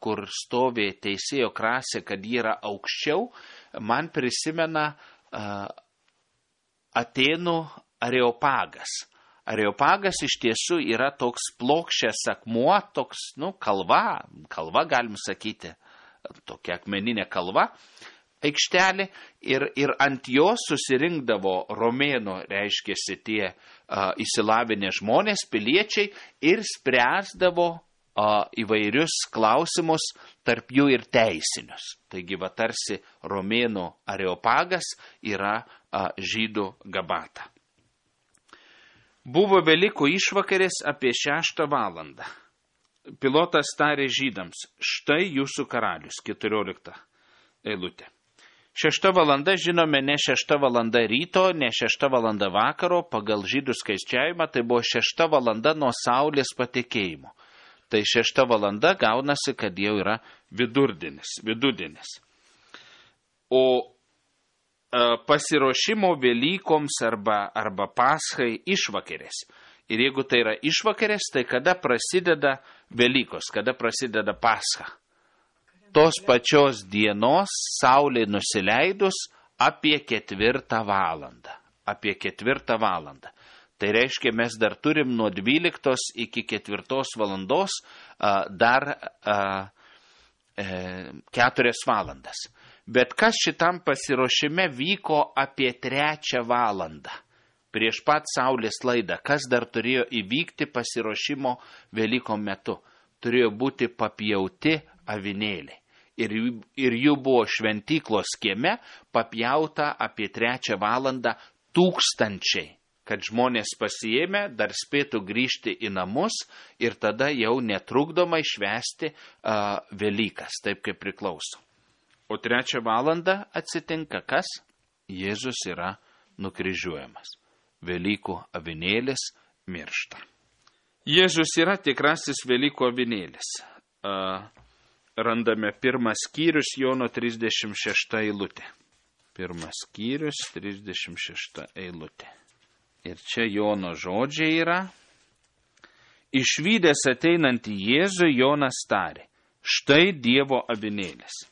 kur stovi teisėjo krasė, kad ji yra aukščiau, man prisimena Atėnų Areopagas. Areopagas iš tiesų yra toks plokščias akmuo, toks, nu, kalva, kalva galim sakyti, tokia akmeninė kalva, aikštelė, ir, ir ant jos susirinkdavo romėnų, reiškėsi tie a, įsilavinę žmonės, piliečiai, ir spręsdavo a, įvairius klausimus, tarp jų ir teisinius. Taigi, va, tarsi romėnų Areopagas yra a, žydų Gabata. Buvo Velykų išvakarės apie šeštą valandą. Pilotas tarė žydams, štai jūsų karalius, keturiolikta eilutė. Šešta valanda, žinome, ne šešta valanda ryto, ne šešta valanda vakaro, pagal žydų skaičiavimą, tai buvo šešta valanda nuo saulės patekėjimo. Tai šešta valanda gaunasi, kad jau yra vidurdienis, vidudienis. O e, pasiruošimo Velykoms arba, arba Paschai išvakarės. Ir jeigu tai yra išvakarės, tai kada prasideda Velykos, kada prasideda Pascha? Tos pačios dienos, saulė nusileidus, apie ketvirtą valandą. Apie ketvirtą valandą. Tai reiškia, mes dar turim nuo dvyliktos iki ketvirtos valandos a, dar a, e, keturias valandas. Bet kas šitam pasiruošime vyko apie trečią valandą. Prieš pat saulės laidą, kas dar turėjo įvykti pasiruošimo Velyko metu. Turėjo būti papjauti avinėliai. Ir, ir jų buvo šventyklos kieme papjauta apie trečią valandą tūkstančiai, kad žmonės pasiėmė, dar spėtų grįžti į namus ir tada jau netrukdomai švęsti uh, Velykas, taip kaip priklauso. O trečią valandą atsitinka kas? Jėzus yra nukryžiuojamas. Velykų avinėlis miršta. Jėzus yra tikrasis Velykų avinėlis. Uh, randame pirmas skyrius Jono trisdešimt šešta eilutė. Pirmas skyrius, trisdešimt šešta eilutė. Ir čia Jono žodžiai yra. Išvydęs ateinantį Jėzų, Jonas tarė, štai Dievo avinėlis.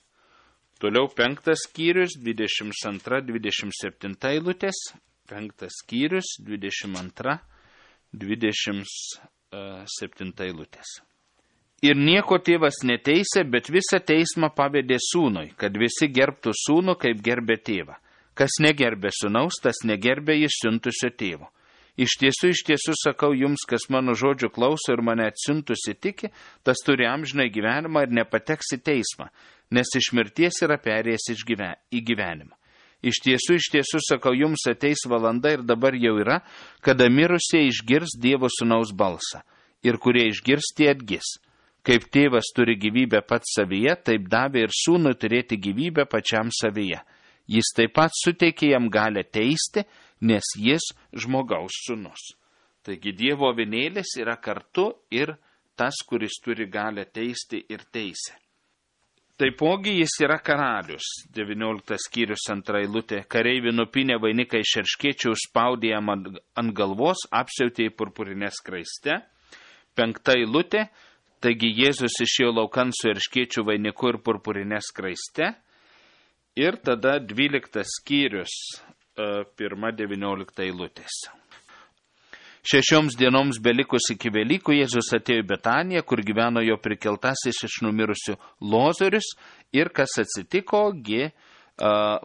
Toliau penktas skyrius, dvidešimt antra dvidešimt septinta eilutės. Penktas skyrius, dvidešimt antra dvidešimt septinta eilutės. Ir nieko tėvas neteisė, bet visą teismą pavedė sūnui, kad visi gerbtų sūnų, kaip gerbė tėvą. Kas negerbė sūnaus, tas negerbė jis siuntusio tėvo. Iš tiesų, iš tiesų sakau jums, kas mano žodžių klauso ir mane atsiuntusi tiki, tas turi amžinai gyvenimą ir nepateks į teismą, nes iš mirties yra perėjęs į gyvenimą. Iš tiesų, iš tiesų sakau jums, ateis valanda ir dabar jau yra, kada mirusieji išgirs Dievo sūnaus balsą, ir kurie išgirs, tie atgis. Kaip tėvas turi gyvybę pats savyje, taip davė ir sūnui turėti gyvybę pačiam savyje. Jis taip pat suteikė jam galę teisti, nes jis žmogaus sūnus. Taigi Dievo avinėlis yra kartu ir tas, kuris turi galę teisti ir teisę. Taipogi jis yra karalius. devynioliktas skyrius antra eilutė. Kareiviai nupynė vainiką iš erškėčių, užspaudė jam ant galvos, apsiautė į purpurinę skraistę. Penkta eilutė. Taigi Jėzus išėjo laukan su erškėčių vainiku ir purpurinė skraiste. Ir tada dvyliktas skyrius, pirma devyniolikta eilutės. Šešioms dienoms belikus iki Velykų Jėzus atėjo į Betaniją, kur gyveno jo prikeltasis iš numirusių Lozorius. Ir kas atsitiko, gi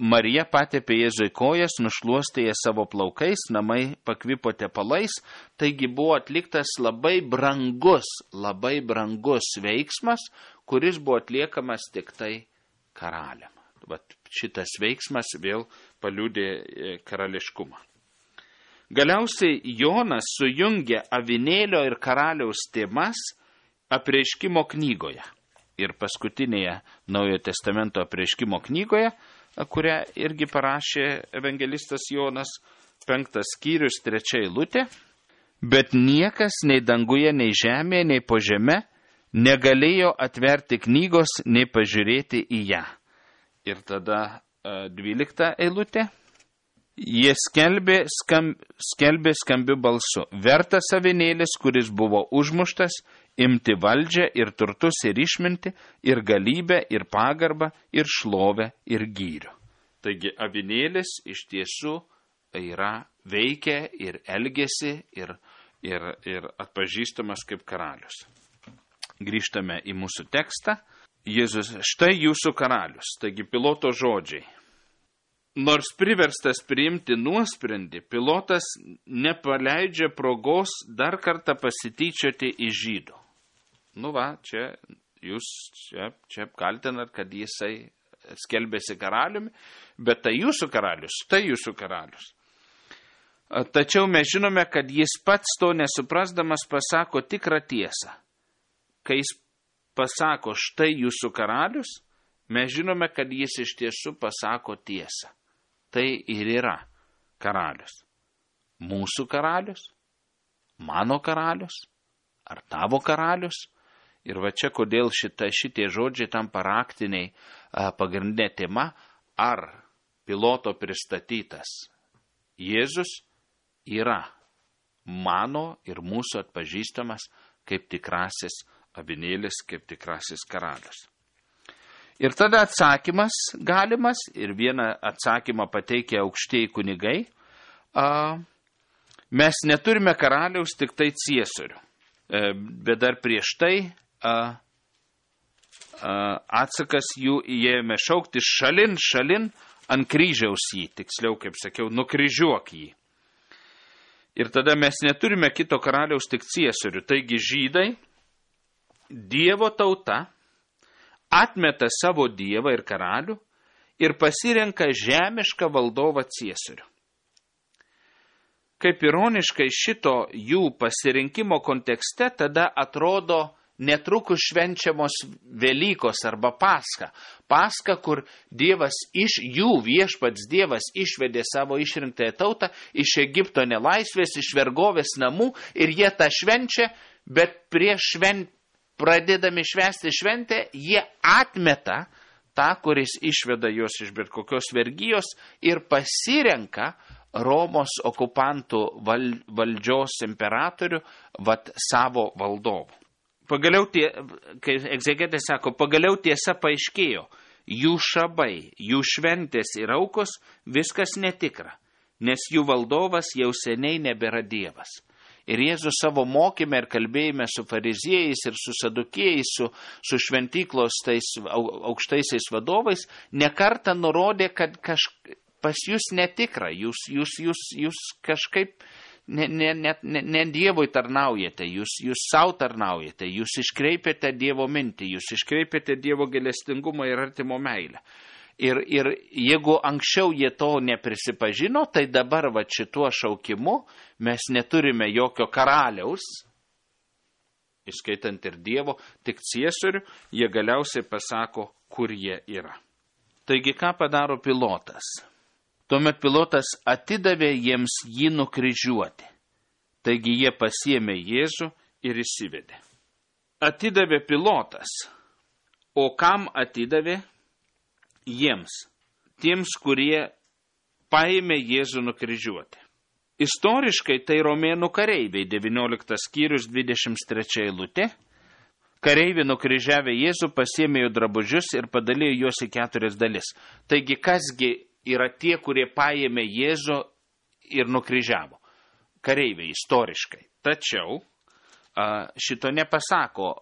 Marija patepė Jėzui kojas, nušluostė jas savo plaukais, namai pakvipo tepalais. Taigi buvo atliktas labai brangus, labai brangus veiksmas, kuris buvo atliekamas tik tai karaliam. Vat šitas veiksmas vėl paliudė karališkumą. Galiausiai Jonas sujungė avinėlio ir karaliaus temas apreiškimo knygoje. Ir paskutinėje Naujojo testamento apreiškimo knygoje, kurią irgi parašė evangelistas Jonas, penktas skyrius, trečia eilutė. Bet niekas nei danguje, nei žemėje, nei po žeme negalėjo atverti knygos, nei pažiūrėti į ją. Ir tada dvylikta eilutė. Jie skelbė, skam, skelbė skambiu balsu. Vertas avinėlis, kuris buvo užmuštas, imti valdžią ir turtus ir išminti, ir galybę, ir pagarbą, ir šlovę, ir gyrių. Taigi avinėlis iš tiesų yra veikia ir elgesi ir, ir, ir atpažįstamas kaip karalius. Grįžtame į mūsų tekstą. Jėzus, štai jūsų karalius, taigi Piloto žodžiai. Nors priverstas priimti nuosprendį, Pilotas nepaleidžia progos dar kartą pasityčioti iš žydų. Nu va, čia jūs čia, čia kaltinat, kad jisai skelbėsi karaliumi, bet tai jūsų karalius, tai jūsų karalius. Tačiau mes žinome, kad jis pats to nesuprasdamas pasako tikrą tiesą. Kai jis pasako, štai jūsų karalius, mes žinome, kad jis iš tiesų pasako tiesą. Tai ir yra karalius. Mūsų karalius, mano karalius, ar tavo karalius. Ir va čia kodėl šita, šitie žodžiai tampa raktiniai pagrindinė tema, ar Piloto pristatytas Jėzus yra mano ir mūsų atpažįstamas kaip tikrasis avinėlis, kaip tikrasis karalius. Ir tada atsakymas galimas, ir vieną atsakymą pateikia aukštieji kunigai. A, Mes neturime karaliaus, tik tai ciesorių. Bet dar prieš tai a, a, atsakas jų įėjome šaukti šalin, šalin, ant kryžiaus jį, tiksliau, kaip sakiau, nukryžiuok jį. Ir tada mes neturime kito karaliaus, tik ciesorių. Taigi žydai, Dievo tauta, atmeta savo dievą ir karalių ir pasirenka žemišką valdovą ciesorių. Kaip ironiškai šito jų pasirinkimo kontekste tada atrodo netrukus švenčiamos Velykos arba Paska. Paska, kur Dievas iš jų, viešpats Dievas išvedė savo išrinktąją tautą iš Egipto nelaisvės, iš vergovės namų ir jie tą švenčia, bet prieš švent, pradėdami švęsti šventę, jie atmeta tą, kuris išveda juos iš bet kokios vergijos ir pasirenka Romos okupantų val, valdžios imperatorių vat savo valdovų. Pagaliau, tie, kai egzegetai sako, pagaliau tiesa paaiškėjo, jų šabai, jų šventės ir aukos viskas netikra, nes jų valdovas jau seniai nebėra Dievas. Ir Jėzus savo mokyme ir kalbėjime su fariziejais ir su sadukėjais, su, su šventyklos tais aukštaisiais vadovais, nekartą nurodė, kad kaž, pas jūs netikra, jūs, jūs, jūs, jūs kažkaip ne, ne, ne, ne, ne Dievui tarnaujate, jūs, jūs savo tarnaujate, jūs iškreipiate Dievo mintį, jūs iškreipiate Dievo gailestingumą ir artimo meilę. Ir, ir jeigu anksčiau jie to neprisipažino, tai dabar va šituo šaukimu mes neturime jokio karaliaus, įskaitant ir Dievo, tik ciesorių, jie galiausiai pasako, kur jie yra. Taigi ką padaro Pilotas? Tuomet Pilotas atidavė jiems jį nukryžiuoti. Taigi jie pasiėmė Jėzų ir įsivedė. Atidavė Pilotas. O kam atidavė? Jiems, tiems, kurie paėmė Jėzų nukryžiuoti. Istoriškai tai romėnų kareiviai, devynioliktas skyrius, dvidešimt trečia eilutė. Kareiviai nukryžiavę Jėzų pasiėmė jo drabužius ir padalijo juos į keturias dalis. Taigi, kasgi yra tie, kurie paėmė Jėzų ir nukryžiavo? Kareiviai, istoriškai. Tačiau šito nepasako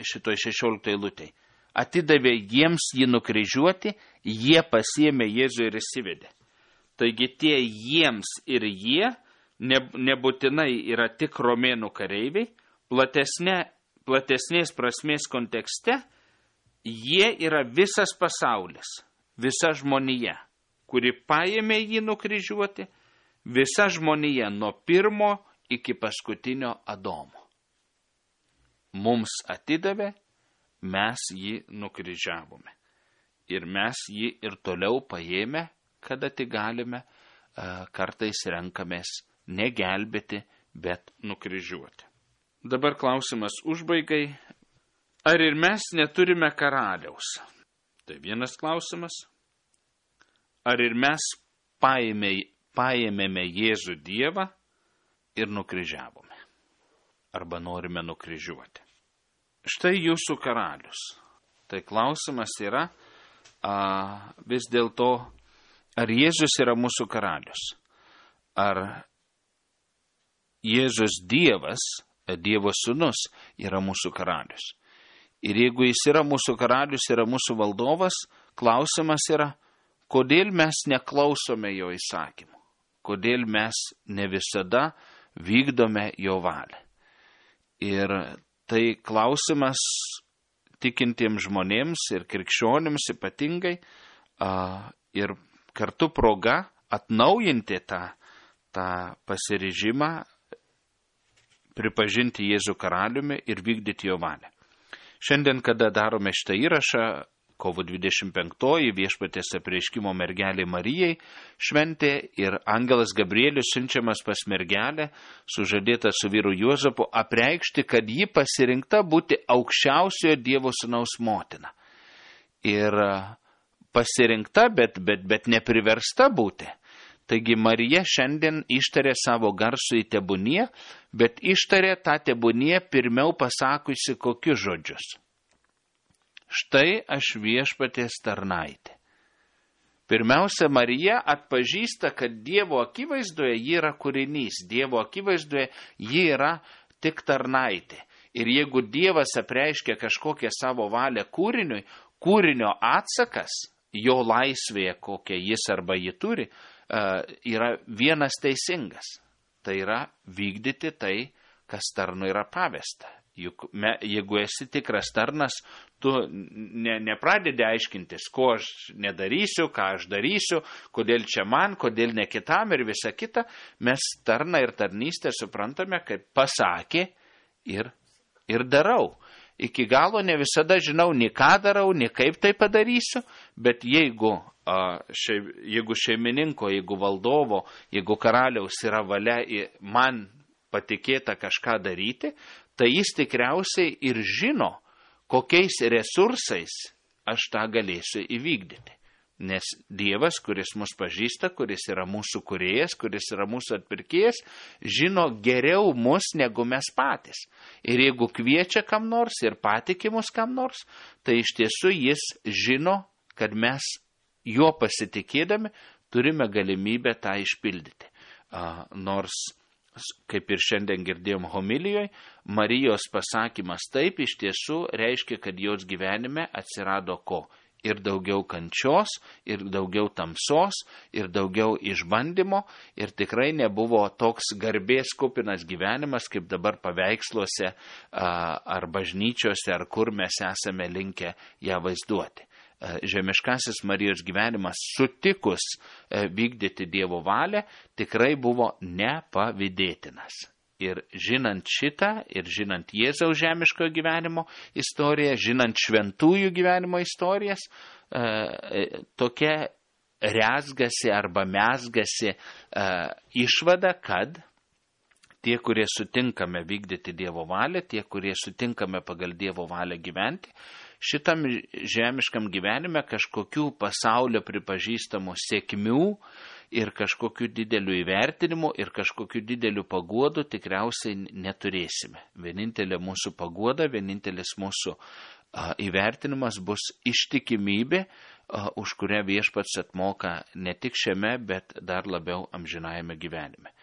šitoj šešioliktoje eilutėje. Atidavė jiems jį nukryžiuoti, jie pasiėmė Jėzų ir įsivedė. Taigi tie jiems ir jie nebūtinai yra tik romėnų kareiviai, platesnė, platesnės prasmės kontekste jie yra visas pasaulis, visa žmonija, kuri paėmė jį nukryžiuoti, visa žmonija nuo pirmo iki paskutinio Adomo. Mums atidavė, mes jį nukryžiavome. Ir mes jį ir toliau paėmę, kada tik galime, kartais renkamės negelbėti, bet nukryžiuoti. Dabar klausimas užbaigai. Ar ir mes neturime karaliaus? Tai vienas klausimas. Ar ir mes paėmė, paėmėme Jėzų Dievą ir nukryžiavome? Arba norime nukryžiuoti? Štai jūsų karalius. Tai klausimas yra a, vis dėlto, ar Jėzus yra mūsų karalius? Ar Jėzus Dievas, Dievo sūnus, yra mūsų karalius? Ir jeigu jis yra mūsų karalius, yra mūsų valdovas, klausimas yra, kodėl mes neklausome jo įsakymų? Kodėl mes ne visada vykdome jo valią? Ir tai klausimas tikintiems žmonėms ir krikščionims ypatingai a, ir kartu proga atnaujinti tą, tą pasiryžimą, pripažinti Jėzų karaliumi ir vykdyti jo valią. Šiandien, kada darome šitą įrašą, kovo dvidešimt penktoji viešpaties apreiškimo mergelei Marijai šventė ir angelas Gabrielius siunčiamas pas mergelę, sužadėta su vyru Juozapu, apreikšti, kad ji pasirinkta būti aukščiausiojo Dievo sūnaus motina. Ir pasirinkta, bet, bet, bet nepriversta būti. Taigi Marija šiandien ištarė savo garsų į tebūnie, bet ištarė tą tebūnie pirmiau pasakusi kokius žodžius. Štai aš viešpaties tarnaitė. Pirmiausia, Marija atpažįsta, kad Dievo akivaizdoje ji yra kūrinys, Dievo akivaizdoje ji yra tik tarnaitė. Ir jeigu Dievas apreiškia kažkokią savo valią kūriniui, kūrinio atsakas, jo laisvėje, kokią jis arba ji turi, yra vienas teisingas. Tai yra vykdyti tai, kas tarnui yra pavesta. Juk me, jeigu esi tikras tarnas, tu ne, nepradedi aiškintis, ko aš nedarysiu, ką aš darysiu, kodėl čia man, kodėl ne kitam ir visa kita. Mes tarną ir tarnystę suprantame, kaip pasakė ir, ir darau. Iki galo ne visada žinau, nei ką darau, nei kaip tai padarysiu, bet jeigu, a, šei, jeigu šeimininko, jeigu valdovo, jeigu karaliaus yra valia man patikėta kažką daryti, tai jis tikriausiai ir žino, kokiais resursais aš tą galėsiu įvykdyti. Nes Dievas, kuris mus pažįsta, kuris yra mūsų kūrėjas, kuris yra mūsų atpirkėjas, žino geriau mus negu mes patys. Ir jeigu kviečia kam nors ir patiki mus kam nors, tai iš tiesų jis žino, kad mes juo pasitikėdami turime galimybę tą išpildyti. A, nors kaip ir šiandien girdėjom homilijoje, Marijos pasakymas taip iš tiesų reiškia, kad jos gyvenime atsirado ko? Ir daugiau kančios, ir daugiau tamsos, ir daugiau išbandymo, ir tikrai nebuvo toks garbės kupinas gyvenimas, kaip dabar paveiksluose ar bažnyčiose, ar kur mes esame linkę ją vaizduoti. Žemiškasis Marijos gyvenimas sutikus vykdyti Dievo valią tikrai buvo nepavydėtinas. Ir žinant šitą, ir žinant Jėzaus žemiškojo gyvenimo istoriją, žinant šventųjų gyvenimo istorijas, tokia rezgasi arba mesgasi išvada, kad tie, kurie sutinkame vykdyti Dievo valią, tie, kurie sutinkame pagal Dievo valią gyventi, šitam žemiškam gyvenime kažkokių pasaulio pripažįstamų sėkmių ir kažkokių didelių įvertinimų ir kažkokių didelių paguodų tikriausiai neturėsime. Vienintelė mūsų paguoda, vienintelis mūsų a, įvertinimas bus ištikimybė, a, už kurią Viešpats atmoka ne tik šiame, bet dar labiau amžinajame gyvenime.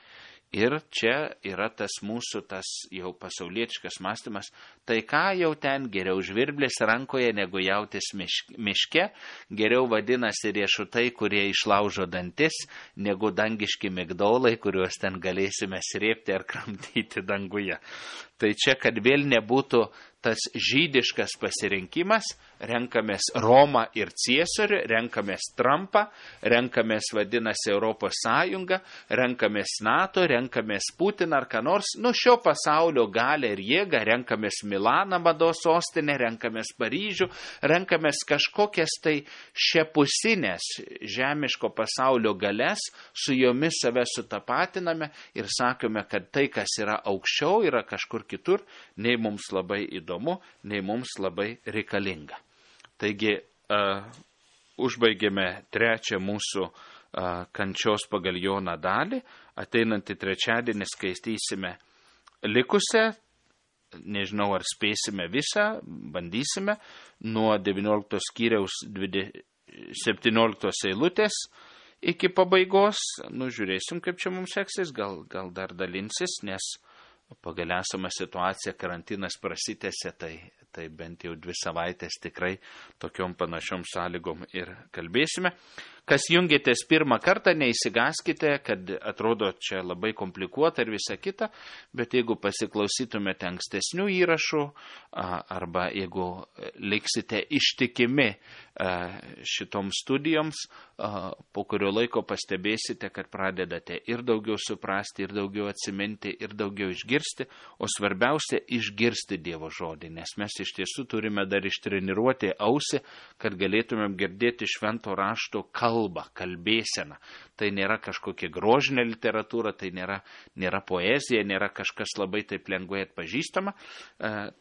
Ir čia yra tas mūsų, tas jau pasaulietiškas mąstymas, tai ką jau ten geriau žvirblės rankoje negu jautis miške, geriau vadinasi riešutai, kurie išlaužo dantis, negu dangiški migdolai, kuriuos ten galėsime srėpti ar kramtyti danguje. Tai čia, kad vėl nebūtų tas žydiškas pasirinkimas, renkamės Romą ir Ciesorių, renkamės Trumpą, renkamės vadinasi Europos Sąjungą, renkamės NATO, renkamės Putiną ar ką nors, nu šio pasaulio galę ir jėgą, renkamės Milaną mados sostinę, renkamės Paryžių, renkamės kažkokias tai šiapusinės žemiško pasaulio galės, su jomis save sutapatiname ir sakome, kad tai, kas yra aukščiau, yra kažkur kitur, nei mums labai įdomu, nei mums labai reikalinga. Taigi, uh, užbaigėme trečią mūsų uh, kančios pagal Joną dalį. Ateinantį trečiadienį skaitysime likusią, nežinau ar spėsime visą, bandysime, nuo devynioliktos skyriaus septynioliktos eilutės iki pabaigos. Nu, žiūrėsim, kaip čia mums seksis, gal, gal dar dalinsis, nes pagal esamą situaciją karantinas prasitęsė, tai, tai bent jau dvi savaitės tikrai tokiom panašiom sąlygom ir kalbėsime. Kas jungėtės pirmą kartą, neįsigaskite, kad atrodo čia labai komplikuota ir visa kita, bet jeigu pasiklausytumėte ankstesnių įrašų arba jeigu liksite ištikimi šitoms studijoms, po kurio laiko pastebėsite, kad pradedate ir daugiau suprasti, ir daugiau atsiminti, ir daugiau išgirsti, o svarbiausia išgirsti Dievo žodį, nes mes iš tiesų turime dar ištreniruoti ausį, kad galėtumėm girdėti švento rašto kalbą, kalbėseną. Tai nėra kažkokia grožinė literatūra, tai nėra, nėra poezija, nėra kažkas labai taip lengvai atpažįstama,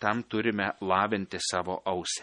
tam turime lavinti savo ausį.